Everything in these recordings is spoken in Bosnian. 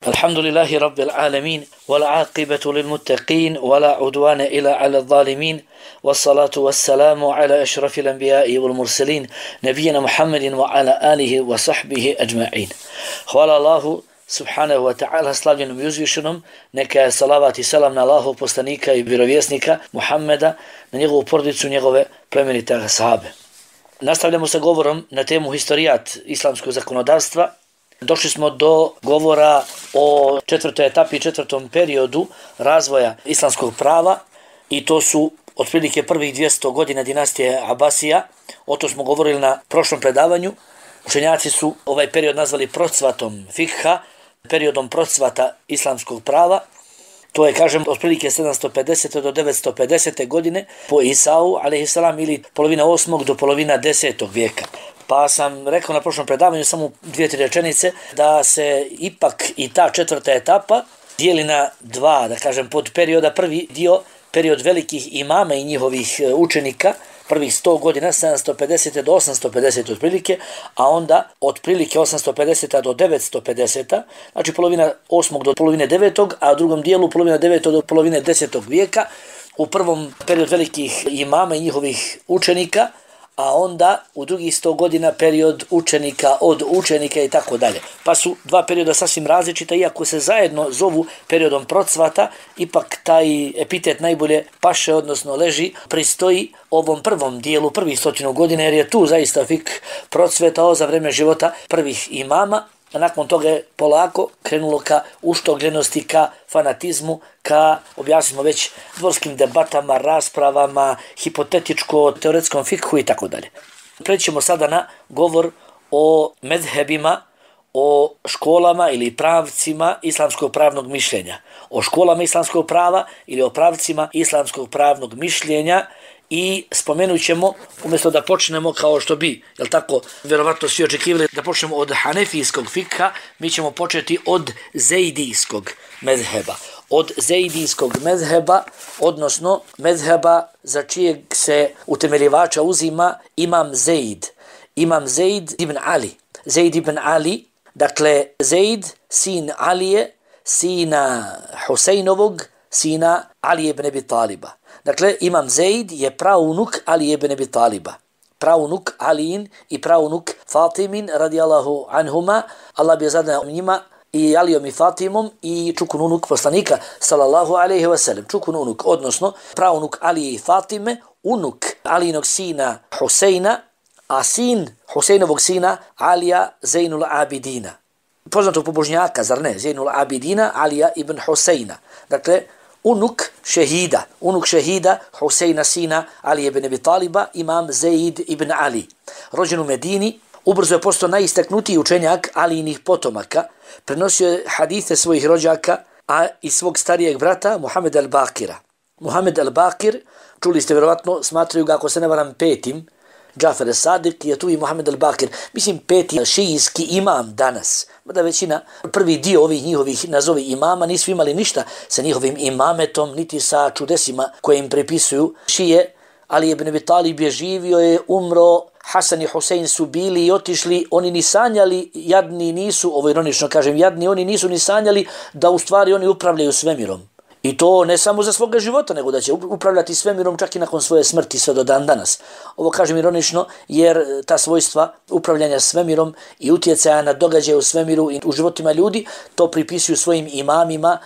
الحمد لله رب العالمين والعاقبة للمتقين ولا عدوان إلا على الظالمين والصلاة والسلام على أشرف الأنبياء والمرسلين نبينا محمد وعلى آله وصحبه أجمعين. Hvala Allahu subhanahu wa ta'ala, slavljenom i uzvišenom, neka je salavat i salam na Allahov poslanika i vjerovjesnika Muhammeda, na njegovu porodicu, njegove plemenite ashabe. Nastavljamo sa govorom na temu historijat islamskog zakonodavstva. Došli smo do govora o četvrtoj etapi i četvrtom periodu razvoja islamskog prava i to su otprilike prvih 200 godina dinastije Abasija. O to smo govorili na prošlom predavanju. Učenjaci su ovaj period nazvali procvatom fikha, periodom procvata islamskog prava. To je, kažem, otprilike 750. do 950. godine po Isau, alejhiselam, ili polovina 8. do polovina 10. vijeka. Pa sam rekao na prošlom predavanju samo 2-3 rečenice da se ipak i ta četvrta etapa dijeli na dva, da kažem, pod perioda. Prvi dio, period velikih imama i njihovih učenika, prvih 100 godina, 750. do 850. otprilike, a onda otprilike 850. do 950. Znači polovina 8. do polovine 9. a u drugom dijelu polovina 9. do polovine 10. vijeka. U prvom period velikih imama i njihovih učenika, a onda u drugih 100 godina period učenika od učenika i tako dalje. Pa su dva perioda sasvim različita, iako se zajedno zovu periodom procvata, ipak taj epitet najbolje paše, odnosno leži, pristoji ovom prvom dijelu prvih 100 godina, jer je tu zaista fik procvetao za vreme života prvih imama. A nakon toga je polako krenulo ka uštogljenosti, ka fanatizmu, ka, objasnili smo već, dvorskim debatama, raspravama, hipotetičko-teoretskom fikhu i tako dalje. Prećemo sada na govor o medhebima, o školama ili pravcima islamskog pravnog mišljenja. O školama islamskog prava ili o pravcima islamskog pravnog mišljenja. I spomenut ćemo, umjesto da počnemo kao što bi, jel tako, vjerovatno svi očekivali da počnemo od hanefijskog fikha, mi ćemo početi od zejdijskog mezheba. Od zejdijskog mezheba, odnosno mezheba za čijeg se utemeljivača uzima imam Zejd. Imam Zejd ibn Ali. Zejd ibn Ali, dakle Zejd, sin Alije, sina Husejnovog, sina Ali ibn Abi Taliba. Dakle, imam Zejd je praunuk Ali ibn Abi Taliba. Praunuk Aliin i praunuk Fatimin radijallahu anhuma. Allah bi zadao njima i Alijom i Fatimom i čukun unuk poslanika sallallahu alejhi ve sellem. Čukun unuk, odnosno praunuk Alije i Fatime, unuk Alijinog sina Husejna, a sin Husejnovog sina Alija Zejnul Abidina. Poznatog pobožnjaka, zar ne? Zejnul Abidina, Alija ibn Husejna. Dakle, unuk šehida Husejna sina Ali ibn Abi Taliba, imam Zejd ibn Ali. Rođen u Medini, ubrzo je postao najistaknutiji učenjak Alijinih potomaka, prenosio je hadise svojih rođaka, a i svog starijeg brata Muhammed al-Bakira. Muhammed al-Bakir, čuli ste vjerovatno, smatraju ga, ako se ne varam, petim. Džafer al-Sadiq je tu i Muhammed al-Bakir, mislim peti šijijski imam danas. Mada većina, prvi dio ovih njihovih nazovi imama nisu imali ništa sa njihovim imametom, niti sa čudesima koje im prepisuju šije. Ali ibn Abi Talib je živio, je umro, Hasan i Husein su bili i otišli, oni ni sanjali, jadni nisu, ovo ironično kažem, jadni, oni nisu ni sanjali da u stvari oni upravljaju svemirom. I to ne samo za svoga života, nego da će upravljati svemirom čak i nakon svoje smrti sve do dan danas. Ovo kažem ironično jer ta svojstva upravljanja svemirom i utjecaja na događaje u svemiru i u životima ljudi to pripisuju svojim imamima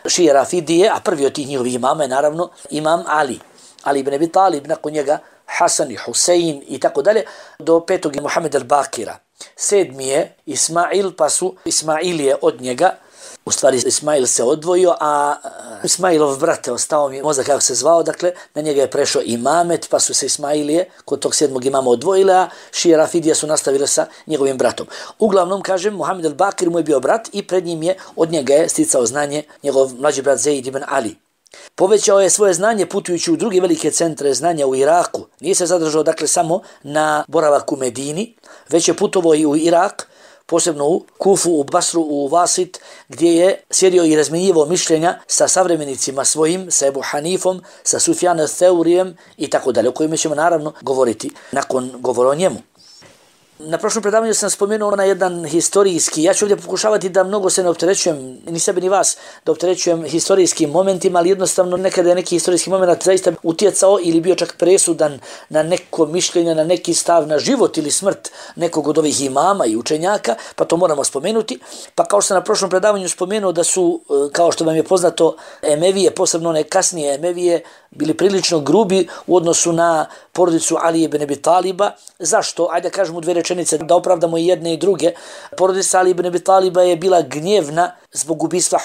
šije Rafidije, a prvi od tih njihovih imama je naravno imam Ali. Ali ibn Abi Talib, nakon njega Hasan i Husein i tako dalje, do petog Muhammed al-Bakira. Sedmi je Ismail, pa su Ismailije od njega. U stvari Ismail se odvojio, a Ismailov brat, ostao mi mozak kako se zvao, dakle na njega je prešao imamet, pa su se Ismailije kod tog 7. imama odvojile, a šije Rafidije su nastavile sa njegovim bratom. Uglavnom, kažem, Muhammed al-Bakir mu je bio brat i pred njim je, od njega je sticao znanje njegov mlađi brat Zejd ibn Ali. Povećao je svoje znanje putujući u druge velike centre znanja u Iraku. Nije se zadržao, dakle, samo na boravak u Medini, već je putovao i u Irak, posebno u Kufu, u Basru, u Vasit, gdje je sjedio i razmjenjivao mišljenja sa savremenicima svojim, sa Ebu Hanifom, sa Sufjanom Theurijem i tako dalje, o kojima ćemo naravno govoriti nakon govora o njemu. Na prošlom predavanju sam spomenuo na jedan historijski, ja ću ovdje pokušavati da mnogo se ne opterećujem, ni sebe ni vas, da opterećujem historijskim momentima, ali jednostavno nekada je neki historijski moment zaista utjecao ili bio čak presudan na neko mišljenje, na neki stav, na život ili smrt nekog od ovih imama i učenjaka, pa to moramo spomenuti. Pa kao što sam na prošlom predavanju spomenuo da su, kao što vam je poznato, Emevije, posebno one kasnije Emevije, bili prilično grubi u odnosu na porodicu Ali ibn Abi Taliba. Zašto? Ajde kažemo dvije rečenice da opravdamo i jedne i druge. Porodica Ali ibn Abi Taliba je bila gnjevna zbog ubistva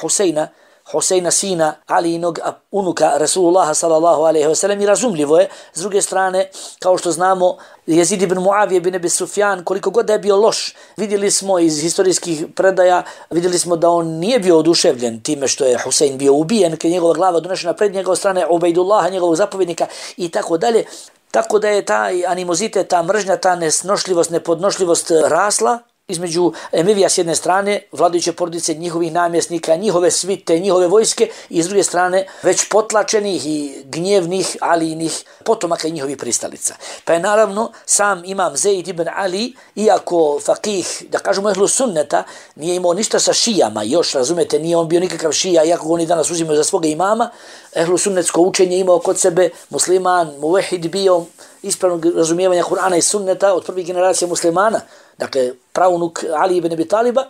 Huseina sina Alijinog unuka Rasulullaha sallallahu alejhi ve sellem, i razumljivo je. S druge strane, kao što znamo, Jezid ibn Muavije ibn Abi Sufjan, koliko god da je bio loš, vidjeli smo iz historijskih predaja, vidjeli smo da on nije bio oduševljen time što je Husein bio ubijen, kad je njegova glava donešena pred njega od strane Ubejdullaha, njegovog zapovjednika i tako dalje. Tako da je taj animozitet, ta mržnja, ta nesnošljivost, nepodnošljivost rasla između Emevija s jedne strane, vladajuće porodice, njihovih namjesnika, njihove svite, njihove vojske, i s druge strane već potlačenih i gnjevnih Alijinih potomaka i njihovih pristalica. Pa je naravno sam imam Zeid ibn Ali, iako fakih, da kažemo ehlu sunneta, nije imao ništa sa šijama, još razumete, nije on bio nikakav šija, iako ga oni danas uzimaju za svoga imama. Ehlu sunnetsko učenje imao kod sebe, musliman, muvehid bio, ispravnog razumijevanja Kur'ana i sunneta od prvih generacija muslimana, dakle praunuk Ali ibn Abi Taliba.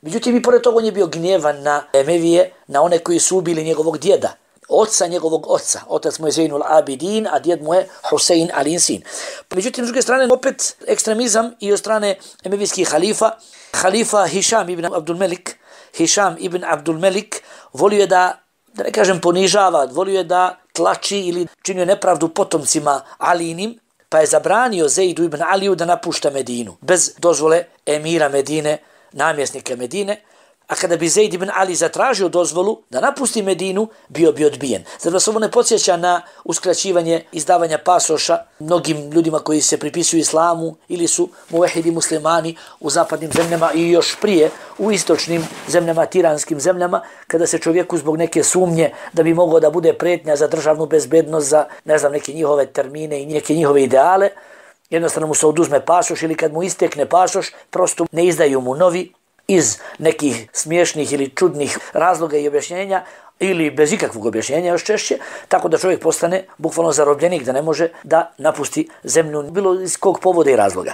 Međutim, i pored toga on je bio gnjevan na Emevije, na one koji su ubili njegovog djeda, oca njegovog oca. Otac mu je Zejnul Abidin, a djed mu je Husein Alijin sin. Međutim, s druge strane, opet ekstremizam i od strane emevijskih halifa Hišam ibn Abdul Melik volio je da ne kažem ponižava, volio je da tlači ili činio nepravdu potomcima Alijinim, pa je zabranio Zejdu ibn Aliju da napušta Medinu bez dozvole emira Medine, namjesnika Medine. A kada bi Zeid ibn Ali zatražio dozvolu da napusti Medinu, bio bi odbijen. Zar vas ovo ne podsjeća na uskraćivanje izdavanja pasoša mnogim ljudima koji se pripisuju islamu ili su muvehidi muslimani u zapadnim zemljama i još prije u istočnim zemljama, tiranskim zemljama, kada se čovjeku zbog neke sumnje da bi mogao da bude pretnja za državnu bezbednost, za neke njihove termine i neke njihove ideale, jednostavno mu se oduzme pasoš, ili kad mu istekne pasoš, prosto ne izdaju mu novi, iz nekih smiješnih ili čudnih razloga i objašnjenja, ili bez ikakvog objašnjenja još češće, tako da čovjek postane bukvalno zarobljenik, da ne može da napusti zemlju, bilo iz kog povoda i razloga.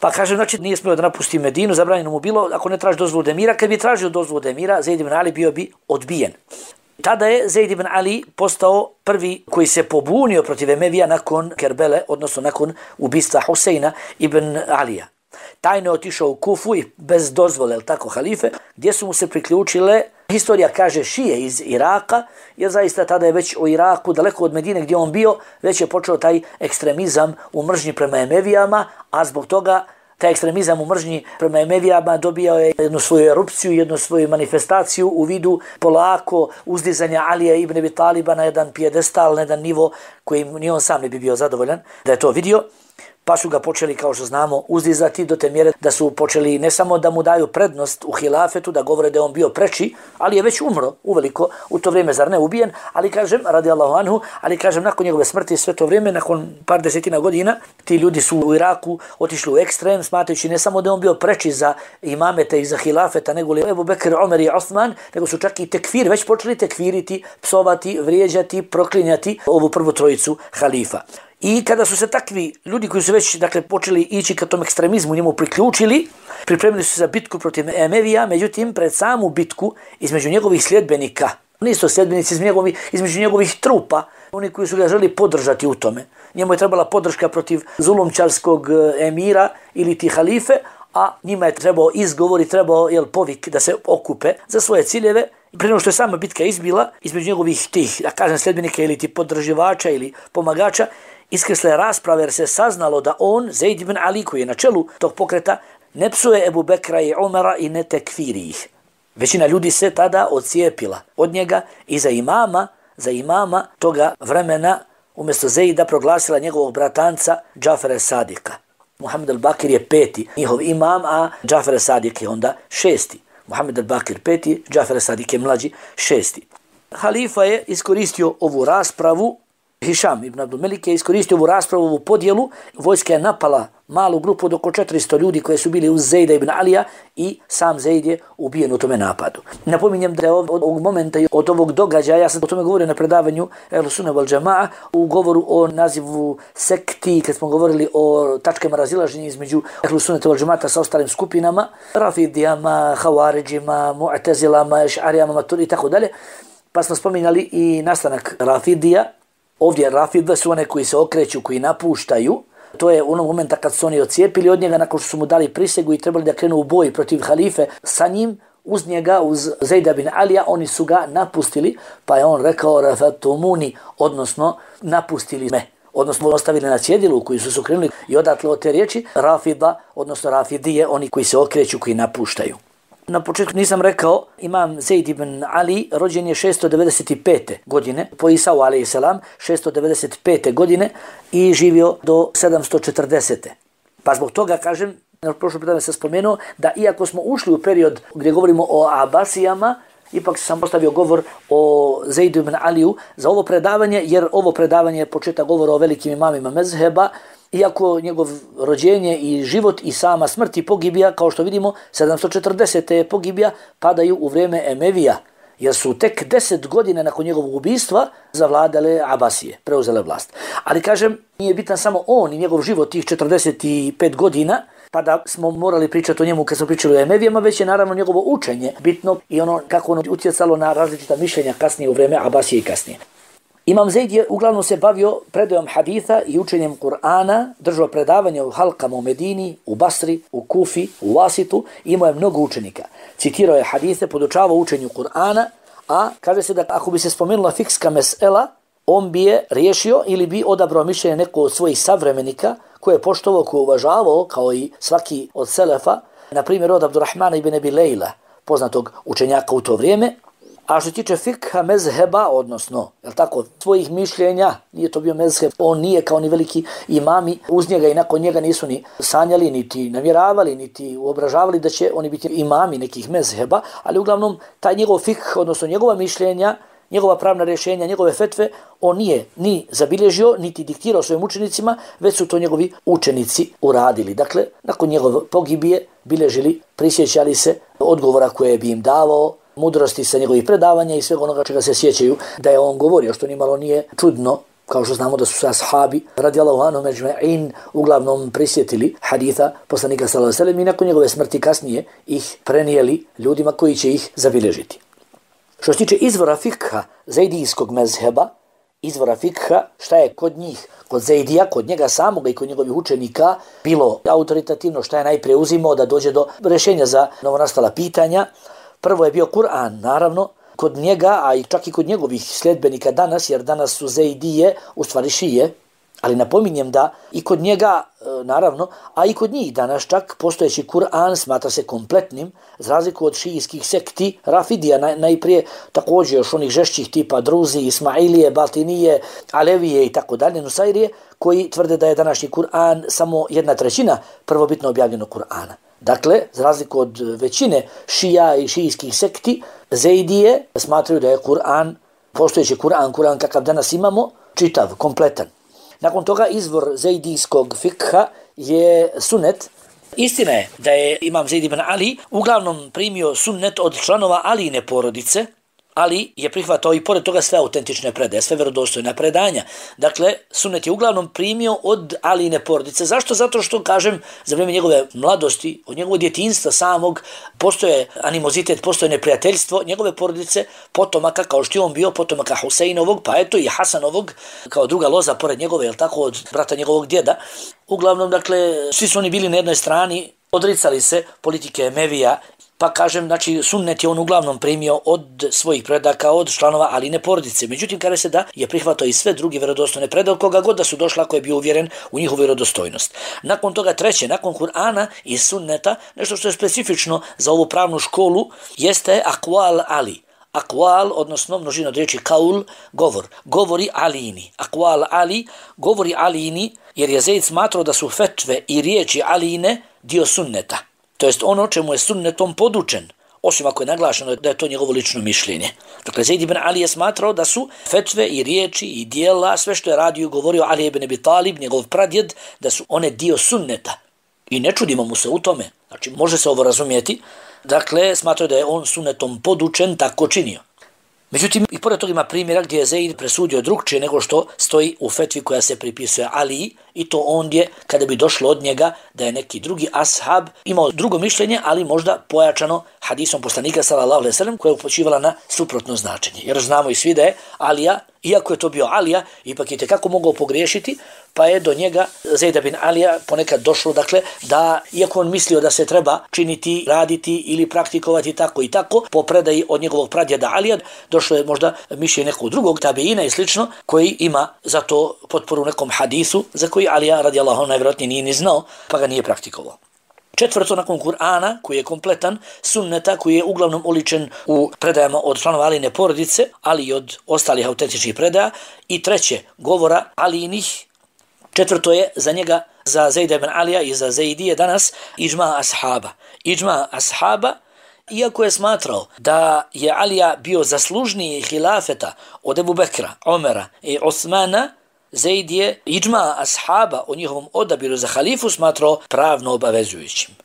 Pa kaže, znači nije smio da napusti Medinu, zabranjeno mu bilo ako ne traži dozvolu od emira. Kad bi tražio dozvolu od emira, Zeid ibn Ali bio bi odbijen. Tada je Zeid ibn Ali postao prvi koji se pobunio protiv Emevija nakon Kerbele, odnosno nakon ubistva Huseina ibn Alija. Tajno je otišao u Kufu i bez dozvole, tako, halife, gdje su mu se priključile, historija kaže, šije iz Iraka, jer zaista tada je već u Iraku, daleko od Medine gdje on bio, već je počeo taj ekstremizam u mržnji prema Emevijama, a zbog toga taj ekstremizam u mržnji prema Emevijama dobijao je jednu svoju erupciju, jednu svoju manifestaciju u vidu polako uzdizanja Alija ibn Abi Taliba na jedan pijedestal, na jedan nivo koji ni on sam ne bi bio zadovoljan da je to vidio. Pa su ga počeli, kao što znamo, uzdizati do te mjere da su počeli ne samo da mu daju prednost u hilafetu, da govore da je on bio preči, ali je već umro uveliko u to vrijeme, zar ne ubijen, ali kažem, radijallahu anhu, ali kažem, nakon njegove smrti sve to vrijeme, nakon par desetina godina, ti ljudi su u Iraku otišli u ekstrem, smatrajući ne samo da je on bio preči za imamete i za hilafeta, nego li Ebu Bekr, Omer i Osman, nego su čak i tekfir, već počeli tekfiriti, psovati, vrijeđati, proklinjati ovu prvu trojicu halifa. I kada su se takvi ljudi koji su već počeli ići ka tom ekstremizmu njemu priključili, pripremili su se za bitku protiv Emevija, međutim pred samu bitku između njegovih sljedbenika, nisu sljedbenici između njegovih trupa, oni koji su ga želi podržati u tome. Njemu je trebala podrška protiv zulumčarskog emira ili ti halife, a njima je trebao izgovor i trebao povik da se okupe za svoje ciljeve. Prije nego što je sama bitka izbila, između njegovih tih, da kažem, sljedbenika ili ti podrživača ili pomagača, iskrsle rasprave jer se saznalo da on, Zeid ibn Ali, koji je na čelu tog pokreta, ne psuje Ebu Bekra i Omara i ne tekfiri ih. Većina ljudi se tada odcijepila od njega i za imama toga vremena umjesto Zeida proglasila njegovog bratanca Džafera Sadika. Muhammed al-Bakir je 5. njihov imam, a Džafer Sadik je onda 6. Muhammed al-Bakir 5. Džafer Sadik je mlađi 6. Halifa je iskoristio ovu raspravu Hišam ibn Abdul Melik je iskoristio ovu raspravu, ovu podjelu. Vojska je napala malu grupu od oko 400 ljudi koji su bili uz Zejda ibn Alija i sam Zejd je ubijen u tome napadu. Napominjem da je od ovog momenta i od ovog događaja, ja sam o tome govorio na predavanju Ehlu Sunne wal Džema'a u govoru o nazivu sekti, kad smo govorili o tačkama razilaženja između Ehlu Sunne wal Džema'ata sa ostalim skupinama, Rafidijama, Havaridžima, Mu'tezilama, Eš'arijama, Maturi i tako dalje. Pa smo spominjali i nastanak Rafidija. Ovdje Rafidve su one koji se okreću, koji napuštaju. To je onog momenta kad su oni ocijepili od njega nakon što su mu dali prisegu i trebali da krenu u boj protiv halife sa njim, uz njega, uz Zejda bin Alija, oni su ga napustili, pa je on rekao rafatumuni, odnosno napustili me, odnosno ostavili na cjedilu koji su se okrenuli i odatle od te riječi Rafida, odnosno Rafidije, oni koji se okreću, koji napuštaju. Na početku nisam rekao, imam Zejd ibn Ali rođen je 695. godine, po Isau a.s. 695. godine i živio do 740. Pa zbog toga kažem, na prošlom pitanje sam spomenuo, da iako smo ušli u period gdje govorimo o Abasijama, ipak sam postavio govor o Zejdu ibn Aliju za ovo predavanje, jer ovo predavanje je početak govora o velikim imamima mezheba, iako njegov rođenje i život i sama smrt i pogibija, kao što vidimo, 740. pogibija padaju u vrijeme Emevija, jer su tek 10 godina nakon njegovog ubijstva zavladale Abasije, preuzele vlast. Ali kažem, nije bitan samo on i njegov život tih 45 godina, pa da smo morali pričati o njemu kad smo pričali o Emevijama, već je naravno njegovo učenje bitno i ono kako ono utjecalo na različita mišljenja kasnije u vrijeme Abasije i kasnije. Imam Zejd je uglavnom se bavio predajom haditha i učenjem Kur'ana, držao predavanje u halkama u Medini, u Basri, u Kufi, u Wasitu, imao je mnogo učenika. Citirao je hadithe, podučavao učenju Kur'ana, a kaže se da ako bi se spomenula fikska mesela, on bi je riješio ili bi odabrao mišljenje neko od svojih savremenika koje je poštovao, koje je uvažavao, kao i svaki od selefa, na primjer od Abdurrahmana ibn Abi Lejla, poznatog učenjaka u to vrijeme. A što se tiče fikha mezheba, odnosno, svojih mišljenja, nije to bio mezheb, on nije kao ni veliki imami, uz njega i nakon njega nisu ni sanjali, niti namjeravali, niti uobražavali da će oni biti imami nekih mezheba, ali uglavnom taj njegov fikh, odnosno njegova mišljenja, njegova pravna rješenja, njegove fetve, on nije ni zabilježio, niti diktirao svojim učenicima, već su to njegovi učenici uradili. Dakle, nakon njegove pogibije bilježili, prisjećali se odgovora koje bi im davao, mudrosti sa njegovih predavanja i svega onoga čega se sjećaju da je on govorio, što nimalo nije čudno, kao što znamo da su se ashabi radijallahu anhum ejma'in uglavnom prisjetili haditha poslanika sallallahu alejhi ve sellem i nakon njegove smrti kasnije ih prenijeli ljudima koji će ih zabilježiti. Što se tiče izvora fikha zejdijskog mezheba, izvora fikha, šta je kod njih, kod Zejdija, kod njega samoga i kod njegovih učenika bilo autoritativno, šta je najprije uzimao da dođe do rješenja za novonastala pitanja. Prvo je bio Kur'an, naravno, kod njega, a i čak i kod njegovih sljedbenika danas, jer danas su Zejdije, u stvari šije, ali napominjem da i kod njega, naravno, a i kod njih danas čak postojeći Kur'an smatra se kompletnim, za razliku od šijskih sekti, Rafidija, najprije također još onih žešćih tipa Druzi, Ismailije, Batinije, Alevije i tako dalje, Nusairije, koji tvrde da je današnji Kur'an samo 1/3 prvobitno objavljeno Kur'ana. Dakle, za razliku od većine šija i šijskih sekti, Zejdije smatraju da je Kur'an, postojeći Kur'an kakav danas imamo, čitav, kompletan. Nakon toga izvor zejdijskog fikha je sunnet. Istina je da je imam Zejd ibn Ali uglavnom primio sunnet od članova Alijine porodice, ali je prihvatao i pored toga sve autentične predaje, sve vjerodostojna predanja. Dakle, sunnet je uglavnom primio od Alijine porodice. Zašto? Zato što, kažem, za vrijeme njegove mladosti, od njegovog djetinjstva samog, postoje animozitet, postoje neprijateljstvo njegove porodice, potomaka, kao što je on bio, potomaka Huseinovog, pa eto i Hasanovog, kao druga loza pored njegove, jel tako, od brata njegovog djeda. Uglavnom, dakle, svi su oni bili na jednoj strani, odricali se politike Emevija. Pa kažem, znači sunnet je on uglavnom primio od svojih predaka, od članova Alijine porodice. Međutim, kaže se da je prihvatao i sve druge vjerodostojne predaje, koga god da su došla, ako je bio uvjeren u njihovu vjerodostojnost. Nakon toga treće, nakon Kur'ana i sunneta, nešto što je specifično za ovu pravnu školu, jeste akval Ali. Akval, odnosno množina od riječi kaul, govor. Govori Alijini. Akval Ali, govori Alijini, jer je Zejd smatrao da su fetve i riječi Alijine dio sunneta. To jest ono čemu je sunnetom podučen, osim ako je naglašeno da je to njegovo lično mišljenje. Dakle, Zaid ibn Ali je smatrao da su fetve i riječi i dijela, sve što je radio i govorio Ali ibn Abi Talib, njegov pradjed, da su one dio sunneta. I ne čudimo mu se u tome. Znači, može se ovo razumijeti. Dakle, smatrao da je on sunnetom podučen, tako činio. Međutim, i pored toga ima primjera gdje je Zaid presudio drugčije nego što stoji u fetvi koja se pripisuje Aliji, i to ondje kada bi došlo od njega da je neki drugi ashab imao drugo mišljenje, ali možda pojačano hadisom poslanika sallallahu alejhi ve sellem, koja je upućivala na suprotno značenje. Jer znamo i svi da je Alija, iako je to bio Alija, ipak je tekako mogao pogriješiti, pa je do njega Zaida bin Alija ponekad došlo, dakle, da iako on mislio da se treba činiti, raditi ili praktikovati tako i tako, po predaji od njegovog pradjeda Alija, došlo je možda mišljenje nekog drugog tabeina i slično, koji ima za to potporu nekom hadisu, za koji Alija radijallahu anhu najvjerojatnije nije ni znao, pa ga nije praktikovao. Četvrto, nakon Kur'ana, koji je kompletan, sunneta, koji je uglavnom oličen u predajama od članova Alijine porodice, ali i od ostalih autentičnih predaja. I treće, govora Alijinih. Četvrto je za njega, za Zaida ibn Alija i za Zaidije danas, iđma ashaba. Iđma ashaba, iako je smatrao da je Alija bio zaslužniji hilafeta od Ebu Bekra, Omera i Osmana, Zaid je iđma ashaba o njihovom odabiru za halifu smatrao pravno obavezujućim.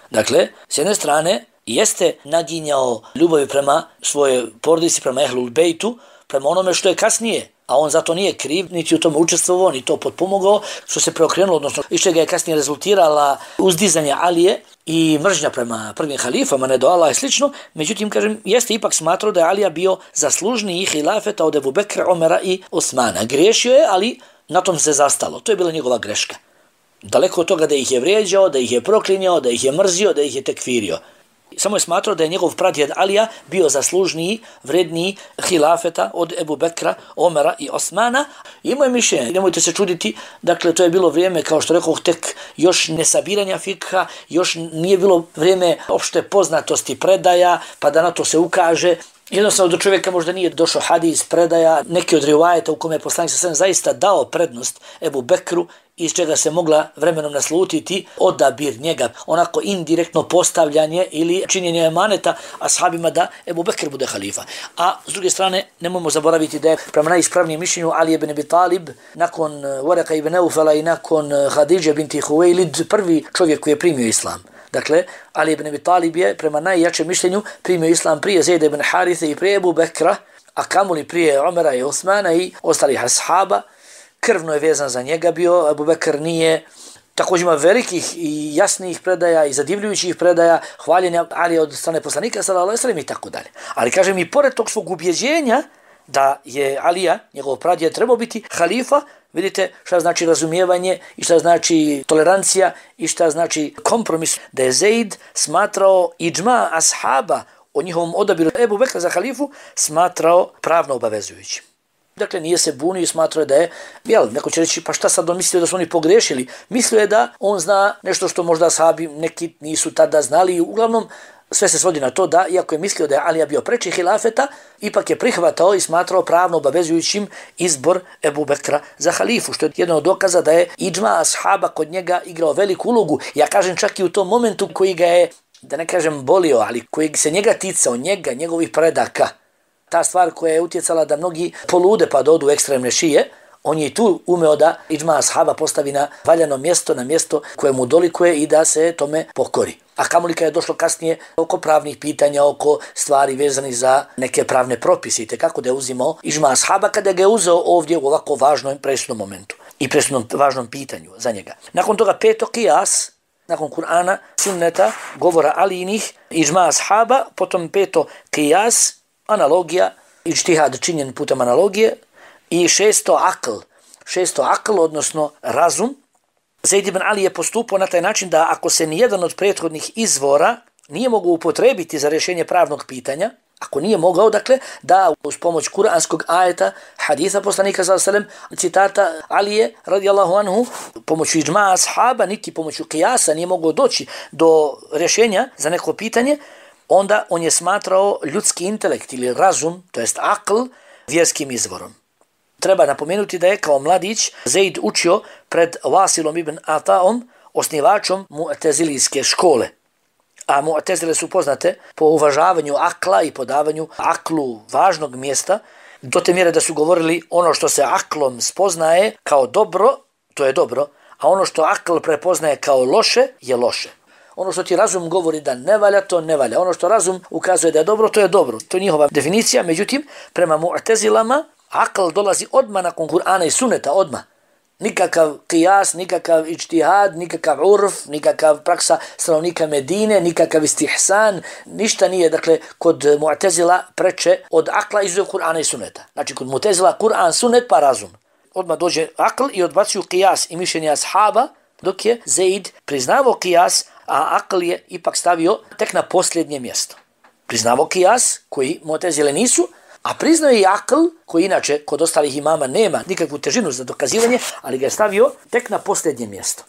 Dakle, s jedne strane, jeste naginjao ljubavi prema svojoj porodici, prema Ehlul Bejtu, prema onome što je kasnije, a on zato nije kriv, niti u tome učestvovao, ni to potpomogao, što se preokrenulo, odnosno iz čega je kasnije rezultirala uzdizanje Alije i mržnja prema prvim halifama, ne do Allah i slično. Međutim, kažem, jeste ipak smatrao da je Alija bio zaslužniji hilafeta od Ebu Bekra, Omera i Osmana. Griješio je, ali na tom se zastalo. To je bila njegova greška. Daleko od toga da ih je vrijeđao, da ih je proklinjao, da ih je mrzio, da ih je tekfirio. Samo je smatrao da je njegov pradjed Alija bio zaslužniji, vredniji hilafeta od Ebu Bekra, Omera i Osmana. Imao je mišljenje, nemojte se čuditi, dakle to je bilo vrijeme, kao što rekao, tek još nesabiranja fikha, još nije bilo vrijeme opšte poznatosti predaja, pa da na to se ukaže. Jednostavno do čovjeka možda nije došao hadis predaja, neki od rivajeta u kome je poslanik sallallahu alejhi ve sellem zaista dao prednost Ebu Bekru, iz čega se mogla vremenom naslutiti odabir njega, onako indirektno postavljanje ili činjenje emaneta ashabima da Ebu Bekr bude halifa. A s druge strane, nemojmo zaboraviti da je prema najispravnijem mišljenju Ali ibn Abi Talib, nakon Waraka ibn Aufala i nakon Hadidže binti Huwailid, prvi čovjek koji je primio islam. Dakle, Ali ibn Abi Talib je prema najjačem mišljenju primio islam prije Zaida ibn Harithe i prije Ebu Bekra, a kamoli prije Omera i Osmana i ostalih ashaba. Krvno je vezan za njega bio, Ebu Bekr nije. Također ima velikih i jasnih predaja i zadivljujućih predaja, hvaljenja Ali od strane poslanika sallallahu alejhi ve sellem i tako dalje. Ali kažem, i pored tog svog ubjeđenja da je Alija, njegov pradjed, trebao biti halifa, vidite šta znači razumijevanje i šta znači tolerancija i šta znači kompromis, da je Zaid smatrao iđma ashaba o njihovom odabiru Ebu Bekra za halifu smatrao pravno obavezujućim. Dakle, nije se bunio i smatrao da je, neko će reći, pa šta sad on mislio da su oni pogrešili? Mislio je da on zna nešto što možda ashabi neki nisu tada znali. Uglavnom, sve se svodi na to da, iako je mislio da je Alija bio preči hilafeta, ipak je prihvatao i smatrao pravno obavezujućim izbor Ebu Bekra za halifu, što je jedan od dokaza da je iđma ashaba kod njega igrao veliku ulogu. Ja kažem čak i u tom momentu koji ga je, da ne kažem bolio, ali koji se njega ticao, njegovih predaka. Ta stvar koja je utjecala da mnogi polude pa dodu ekstremne šije, on je i tu umeo da iđma ashaba postavi na valjano mjesto, na mjesto koje mu dolikuje i da se tome pokori. A kamoli kad je došlo kasnije oko pravnih pitanja, oko stvari vezanih za neke pravne propise, kako da je uzimao iđma ashaba kada ga je uzeo ovdje u ovako važnom presudnom momentu i presudnom važnom pitanju za njega. Nakon toga peto, qiyas, nakon Kur'ana, sunneta, govora Alijinih, iđma ashaba, potom peto, qiyas, analogija, iđtihad činjen putem analogije, i šesto akl, odnosno razum. Zaid ibn Ali je postupao na taj način da ako se nijedan od prethodnih izvora nije mogao upotrebiti za rješenje pravnog pitanja, ako nije mogao, dakle, da uz pomoć kuranskog ajeta, haditha poslanika sallallahu alejhi ve sellem, citata Alije radijallahu anhu, pomoću iđma ashaba, niti pomoću qiyasa nije mogao doći do rješenja za neko pitanje, onda on je smatrao ljudski intelekt ili razum, to jest akl, vjerskim izvorom. Treba napomenuti da je kao mladić Zaid učio pred Wasilom ibn Ataom, osnivačom Mu'tezilijske škole. a Mu'tezile su poznate po uvažavanju akla i podavanju aklu važnog mjesta, do te mjere da su govorili ono što se aklom spoznaje kao dobro, to je dobro, a ono što akl prepoznaje kao loše, je loše. Ono što ti razum govori da ne valja, to ne valja. Ono što razum ukazuje da je dobro, to je dobro. To je njihova definicija, međutim, prema Mu'tezilama, akl dolazi odmah nakon Kur'ana i Sunneta, odmah. Nikakav qiyas, nikakav ijtihad, nikakav urf, nikakav praksa stanovnika Medine, nikakav istihsan, ništa nije, dakle, kod Mu'tezila preče od akla izuzev Kur'ana i Sunneta. Znači, kod Mu'tezila Kur'an, Sunnet pa razum. Odmah dođe akl i odbacuju qiyas i mišljenja ashaba, dok je Zaid priznavao qiyas, a akl je ipak stavio tek na posljednje mjesto. Priznavao qiyas, koji Mu'tezile nisu, a priznao je i akl, koji inače kod ostalih imama nema nikakvu težinu za dokazivanje, ali ga je stavio tek na posljednje mjesto.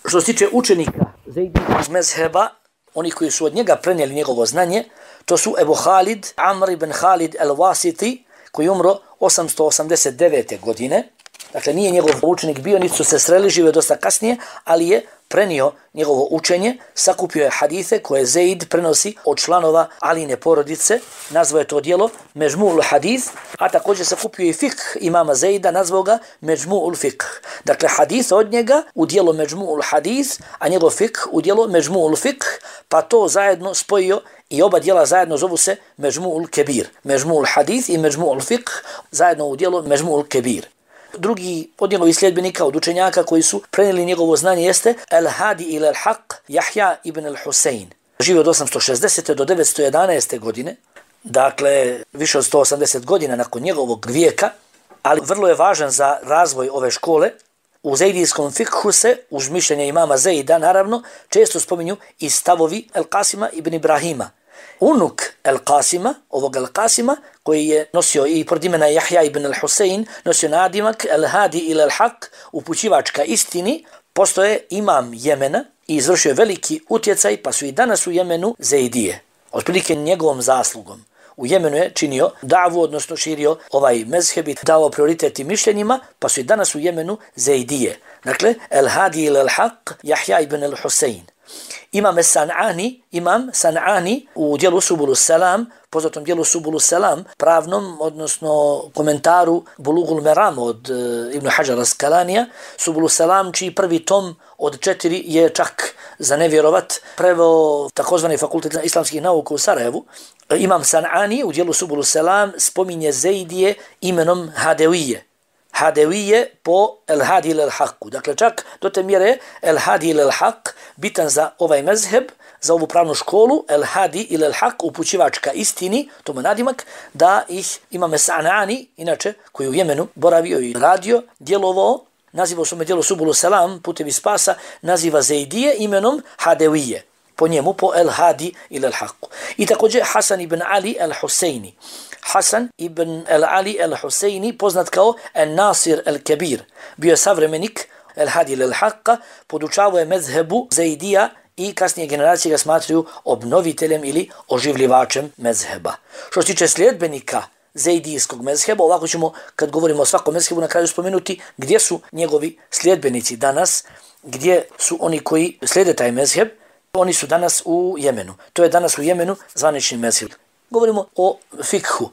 Što se tiče učenika Zaidijskog mezheba, oni koji su od njega prenijeli njegovo znanje, to su Ebu Halid, Amr ibn Halid el-Wasiti, koji je umro 889. godine. Dakle, nije njegov učenik bio, niti su se sreli, žive dosta kasnije, ali je prenio njegovo učenje, sakupio je hadithe koje Zaid prenosi od članova Aline porodice, nazvao je to djelo Međmu'ul Hadith, a također sakupio i fiqh imama Zaida, nazvao ga Međmu'ul Fiqh. Dakle, hadith od njega u djelo Međmu'ul Hadith, a njegov fiqh u djelo Međmu'ul Fiqh, pa to zajedno spojio i oba djela zajedno zovu se Međmu'ul Kebir. Međmu'ul Hadith i Međmu'ul Fiqh zajedno u djelo Međmu'ul Kebir. Drugi od njegovih sljedbenika, od učenjaka koji su prenijeli njegovo znanje jeste Al-Hadi ila al-Haq Jahja ibn al-Husein. Živi od 860. do 911. godine, dakle više od 180 godina nakon njegovog vijeka, ali vrlo je važan za razvoj ove škole. U Zaidijskom fikhu se, uz mišljenje imama Zaida, naravno, često spominju i stavovi Al-Qasima ibn Ibrahima. Unuk Al-Qasima, ovog Al-Qasima, koji je nosio i pored imena Jahja ibn al-Husein, nosio nadimak Al-Hadi ila al-Haq, upućivačka istini, postoje imam Jemena i izvršio veliki utjecaj, pa su i danas u Jemenu Zaidije. Otprilike njegovom zaslugom. U Jemenu je činio davu, odnosno širio ovaj mezheb i dao prioritet i mišljenjima, pa su i danas u Jemenu Zaidije. Dakle, Al-Hadi ila al-Haq, Jahja ibn al-Husein. Imam San'ani u djelu Subulu Selam, poznatom djelu Subulu Selam, pravnom, odnosno komentaru Bulugul Meram od Ibn Hajar al-Skalanija, Subulu Selam, čiji prvi tom od 4 je čak za nevjerovat preveo takozvani fakultet islamskih nauka u Sarajevu. Imam San'ani u djelu Subulu Selam spominje Zaidije imenom Hadevije. Hadevije po El-Hadi ila al-Haqu. Dakle, čak do te mjere El-Hadi ila al-Haq bitan za ovaj mezheb, za ovu pravnu školu, El-Hadi ila al-Haq, upućivačka istini, to mu nadimak, da ih Imam San'ani, inače, koji u Jemenu boravio i radio, djelovao, nazivao svome djelo Subulu Selam, putevi spasa, naziva Zaidije imenom Hadevije. Po njemu, po El-Hadi ila al-Haqu. I također Hasan ibn Ali al-Huseini. Hasan ibn al-Ali al-Huseini, poznat kao An-Nasir al-Kabir, bio je savremenik El-Hadi ila al-Haqqa, podučavao je mezhebu Zaidija i kasnije generacije ga smatraju obnoviteljem ili oživljivačem mezheba. Što se tiče sljedbenika Zaidijskog mezheba, ovako ćemo, kad govorimo o svakom mezhebu, na kraju spomenuti gdje su njegovi sljedbenici danas, gdje su oni koji slijede taj mezheb. Oni su danas u Jemenu. To je danas u Jemenu zvanični mezheb. Govorimo o fikhu,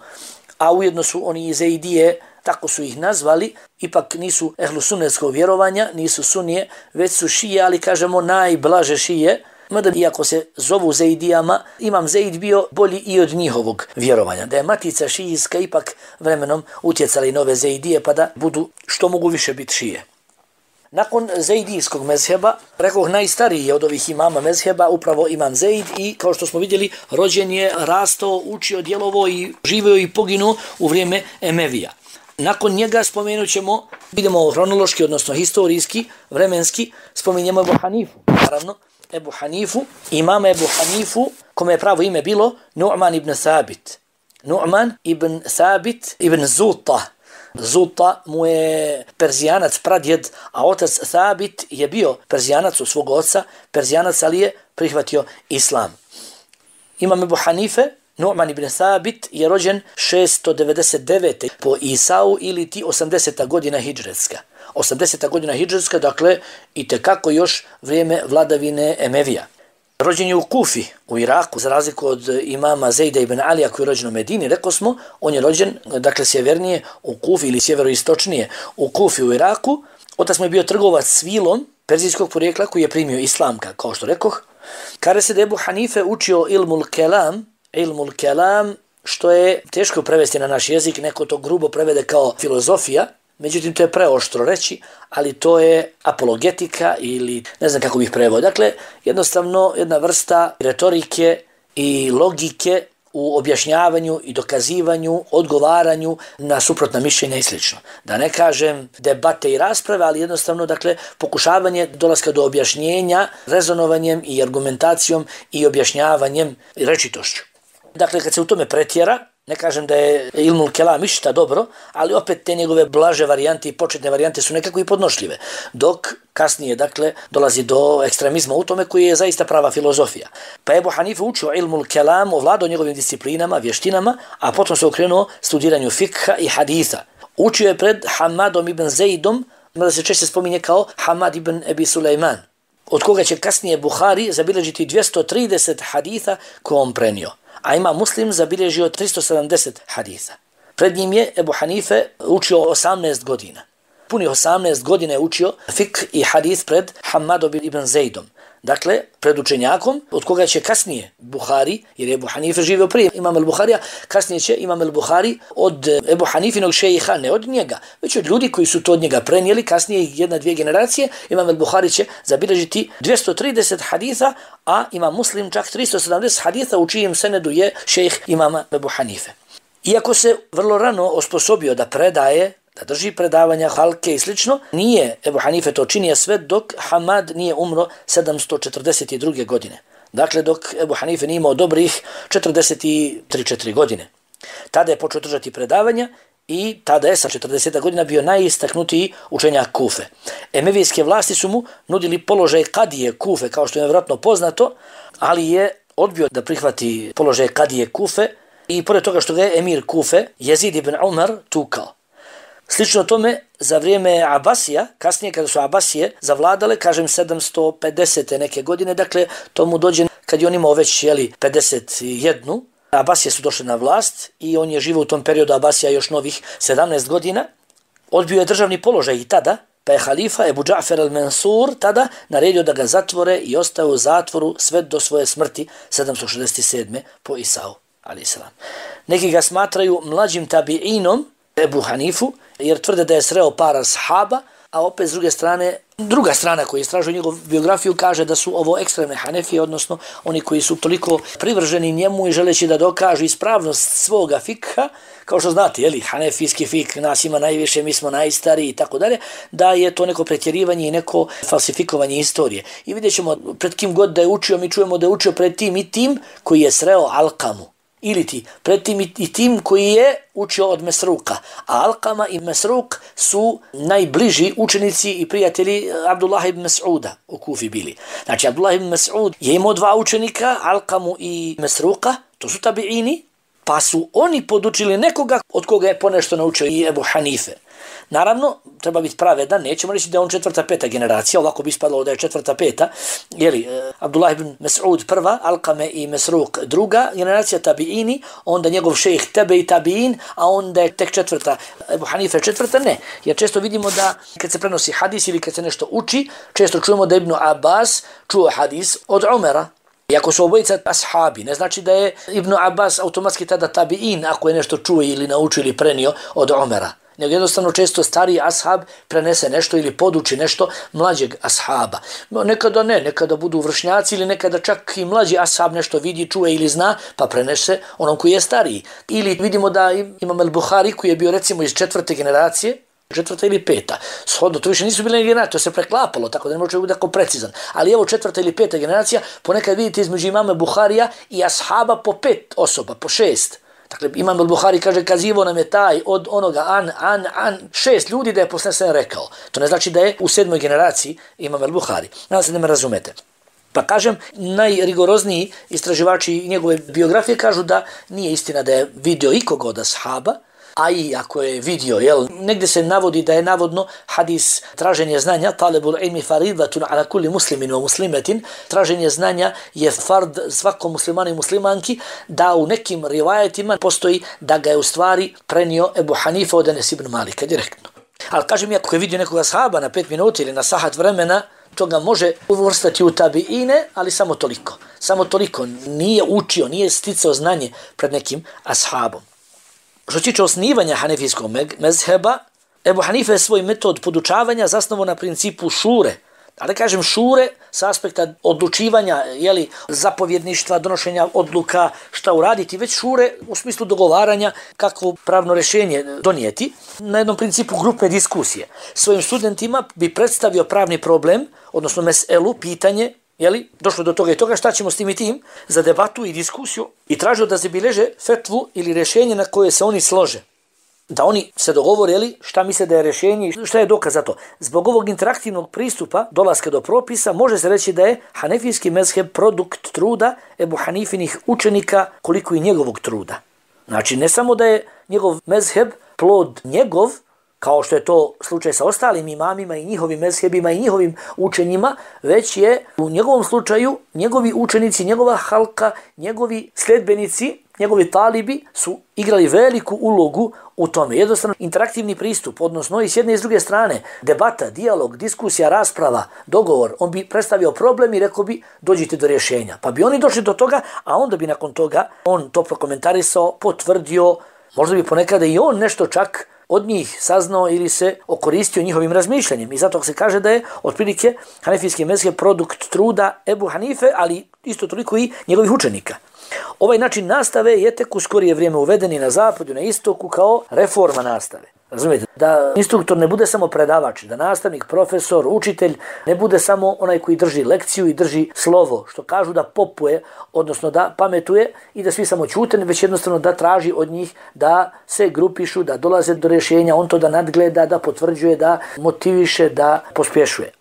a ujedno su oni iz Zaidije, tako su ih nazvali, ipak nisu ehlu sunnetskog vjerovanja, nisu sunije, već su šije, ali kažemo najblaže šije. Mada iako se zovu Zaidijama, Imam Zaid bio bolji i od njihovog vjerovanja. Da je matica šijijska ipak vremenom utjecali nove Zaidije, pa da budu što mogu više biti šije. Nakon Zaidijskog mezheba, rekoh najstariji je od ovih imama mezheba upravo Imam Zaid i kao što smo vidjeli, rođen je, rastao, učio, djelovao i živio i poginuo u vrijeme Emevija. Nakon njega spomenut ćemo, vidimo hronološki, odnosno historijski, vremenski, spominjemo Ebu Hanifu. Naravno, Ebu Hanifu, imama Ebu Hanifu, kome je pravo ime bilo Nu'man ibn Thabit. Nu'man ibn Thabit ibn Zuta. Zuta mu je Perzijanac pradjed, a otac Thabit je bio Perzijanac od svog oca, Perzijanac, ali je prihvatio islam. Imam Ebu Hanife, Nu'man ibn Thabit, je rođen 699. po Isau ili ti 80. godina hidžretska. 80. godina hidžretska, dakle, i tekako još vrijeme vladavine Emevija. Rođen je u Kufi, u Iraku, za razliku od imama Zejda ibn Alija koji je rođen u Medini, rekao smo, on je rođen, dakle, sjevernije u Kufi ili sjeveroistočnije u Kufi u Iraku. Otac mu je bio trgovac s vilom perzijskog porijekla koji je primio islam, kao što rekoh. Kaže se da Ebu Hanife učio ilmul kelam, što je teško prevesti na naš jezik, neko to grubo prevede kao filozofija, međutim to je preoštro reći, ali to je apologetika ili ne znam kako bih preveo. Dakle, jednostavno jedna vrsta retorike i logike u objašnjavanju i dokazivanju, odgovaranju na suprotna mišljenja i sl. Da ne kažem debate i rasprave, ali jednostavno, dakle, pokušavanje dolaska do objašnjenja rezonovanjem i argumentacijom i objašnjavanjem i rečitošću. Dakle, kad se u tome pretjera, ne kažem da je ilmul kelam išta dobro, ali opet te njegove blaže varijante i početne varijante su nekako i podnošljive. Dok kasnije, dakle, dolazi do ekstremizma u tome koji je zaista prava filozofija. Pa Ebu Hanife učio ilmul kelam, ovladao njegovim disciplinama, vještinama, a potom se okrenuo studiranju fikha i haditha. Učio je pred Hamadom ibn Zejdom, mada se češće spominje kao Hamad ibn Ebi Sulejman, od koga će kasnije Buhari zabilježiti 230 haditha koje on prenio. A ima Muslim zabilježio 370 haditha. Pred njim je Ebu Hanife učio 18 godina. Punih 18 godina je učio fik i hadith pred Hamadom ibn Zejdom. Dakle, pred učenjakom, od koga će kasnije Buhari, jer je Ebu Hanife živio prije imam al-Buharija, kasnije će imam al-Buhari od Ebu Hanifinog šejha, ne od njega, već od ljudi koji su to od njega prenijeli, kasnije jedna, dvije generacije, imam al-Buhari će zabilježiti 230 haditha, a ima Muslim čak 370 haditha u čijem senedu je šejh imama Ebu Hanife. Iako se vrlo rano osposobio da predaje, da drži predavanja, halke i slično, nije Ebu Hanife to činio sve dok Hamad nije umro 742. godine. Dakle, dok Ebu Hanife nije imao dobrih 43-4 godine. Tada je počeo držati predavanja i tada je sa 40 godina bio najistaknutiji učenjak Kufe. Emevijske vlasti su mu nudili položaj kadije Kufe, kao što je vjerojatno poznato, ali je odbio da prihvati položaj kadije Kufe i pored toga što ga je emir Kufe, Jezid ibn Umar, tukao. Slično tome, za vrijeme Abasija, kasnije kada su Abasije zavladale, kažem 750. neke godine, dakle, to mu dođe kad je on imao već 51. Abasije su došli na vlast i on je živio u tom periodu Abasija još novih 17 godina. Odbio je državni položaj i tada, pa je halifa Ebu Džafer al-Mansur tada naredio da ga zatvore i ostao u zatvoru sve do svoje smrti 767. po Isau, a.s. Neki ga smatraju mlađim tabi'inom Ebu Hanifu, jer tvrde da je sreo par ashaba, a opet s druge strane, druga strana koja istražuje njegovu biografiju kaže da su ovo ekstremne Hanefije, odnosno oni koji su toliko privrženi njemu i želeći da dokažu ispravnost svoga fikha, kao što znate, jeli, hanefijski fik nas ima najviše, mi smo najstariji i tako dalje, da je to neko pretjerivanje i neko falsifikovanje istorije. I vidjet ćemo pred kim god da je učio, mi čujemo da je učio pred tim i tim koji je sreo Alkamu. Ili ti, pred tim i tim koji je učio od Mesruka. A Alkama i Mesruk su najbliži učenici i prijatelji Abdullah ibn Mas'uda u Kufi bili. Znači, Abdullah ibn Mas'ud je imao dva učenika, Alkamu i Mesruka, to su tabiini, pa su oni podučili nekoga od koga je ponešto naučio i Ebu Hanife. Naravno, treba biti pravedan, nećemo reći da je on 4., 5. generacija, ovako bi ispadalo da je 4., 5. Jeli, Abdullah ibn Mas'ud prva, Alkame i Mesruk druga generacija tabiini, onda njegov šejh Tebe i tabiin, a onda je tek 4. Ebu Hanife 4. ne. Jer često vidimo da kad se prenosi hadis ili kad se nešto uči, često čujemo da Ibn Abbas čuo hadis od Umera. Iako su obojica ashabi, ne znači da je Ibn Abbas automatski tada tabiin ako je nešto čuo ili naučio ili prenio od Umera. Nego jednostavno često stariji ashab prenese nešto ili poduči nešto mlađeg ashaba. Nekada ne, nekada budu vršnjaci ili nekada čak i mlađi ashab nešto vidi, čuje ili zna, pa prenese onom koji je stariji. Ili vidimo da imam al-Buhari koji je bio recimo iz 4. generacije, 4. ili 5. Shodno, to više nisu bile generacije, to se preklapalo, tako da ne može biti tako precizan. Ali evo 4. ili 5. generacija, ponekad vidite između imama Buharija i ashaba po 5 osoba, po 6. Dakle, imam al-Buhari kaže, kazivo nam je taj od onoga an, 6 ljudi da je posljedno rekao. To ne znači da je u 7. generaciji imam al-Buhari. Nadam se da me razumete. Pa kažem, najrigorozniji istraživači njegove biografije kažu da nije istina da je vidio ikoga od ashaba, a i ako je vidio, jel, negdje se navodi da je navodno hadis traženje znanja, talebul ilmi faridatun ala kulli muslimin wa muslimatin, traženje znanja je fard svakom muslimanu i muslimanki, da u nekim rivajetima postoji da ga je u stvari prenio Ebu Hanifa od Enes ibn Malika direktno. Ali kažem, ako je vidio nekoga ashaba na 5 minuta ili na sahat vremena, to ga može uvrstati u tabiine, ali samo toliko. Samo toliko. Nije učio, nije sticao znanje pred nekim ashabom. Što se tiče osnivanja hanefijskog mezheba, Ebu Hanife je svoj metod podučavanja zasnovao na principu šure. Ali kažem šure sa aspekta odlučivanja, jeli, zapovjedništva, donošenja odluka, šta uraditi, već šure u smislu dogovaranja kakvo pravno rješenje donijeti na jednom principu grupne diskusije. Svojim studentima bi predstavio pravni problem, odnosno meselu, pitanje, jeli, došlo do toga i toga, šta ćemo s tim i tim, za debatu i diskusiju, i tražio da zabilježe fetvu ili rješenje na koje se oni slože. Da oni se dogovore, jeli, šta misle da je rješenje i šta je dokaz za to. Zbog ovog interaktivnog pristupa dolaska do propisa može se reći da je hanefijski mezheb produkt truda Ebu Hanifinih učenika koliko i njegovog truda. Znači ne samo da je njegov mezheb plod njegov, kao što je to slučaj sa ostalim imamima i njihovim mezhebima i njihovim učenjima, već je u njegovom slučaju njegovi učenici, njegova halka, njegovi sledbenici, njegovi talibi su igrali veliku ulogu u tome. Jednostavno interaktivni pristup, odnosno i s jedne i s druge strane, debata, dijalog, diskusija, rasprava, dogovor, on bi predstavio problem i rekao bi dođite do rješenja. Pa bi oni došli do toga, a onda bi nakon toga on to prokomentarisao, potvrdio, možda bi ponekada i on nešto čak od njih saznao ili se okoristio njihovim razmišljanjem. I zato se kaže da je otprilike hanefijski mezheb produkt truda Ebu Hanife, ali isto toliko i njegovih učenika. Ovaj način nastave je tek u skorije vrijeme uveden i na zapadu, na istoku kao reforma nastave. Razumijete? Da instruktor ne bude samo predavač, da nastavnik, profesor, učitelj ne bude samo onaj koji drži lekciju i drži slovo, što kažu da popuje, odnosno da pametuje i da svi samo ćute, već jednostavno da traži od njih da se grupišu, da dolaze do rješenja, on to da nadgleda, da potvrđuje, da motiviše, da pospješuje.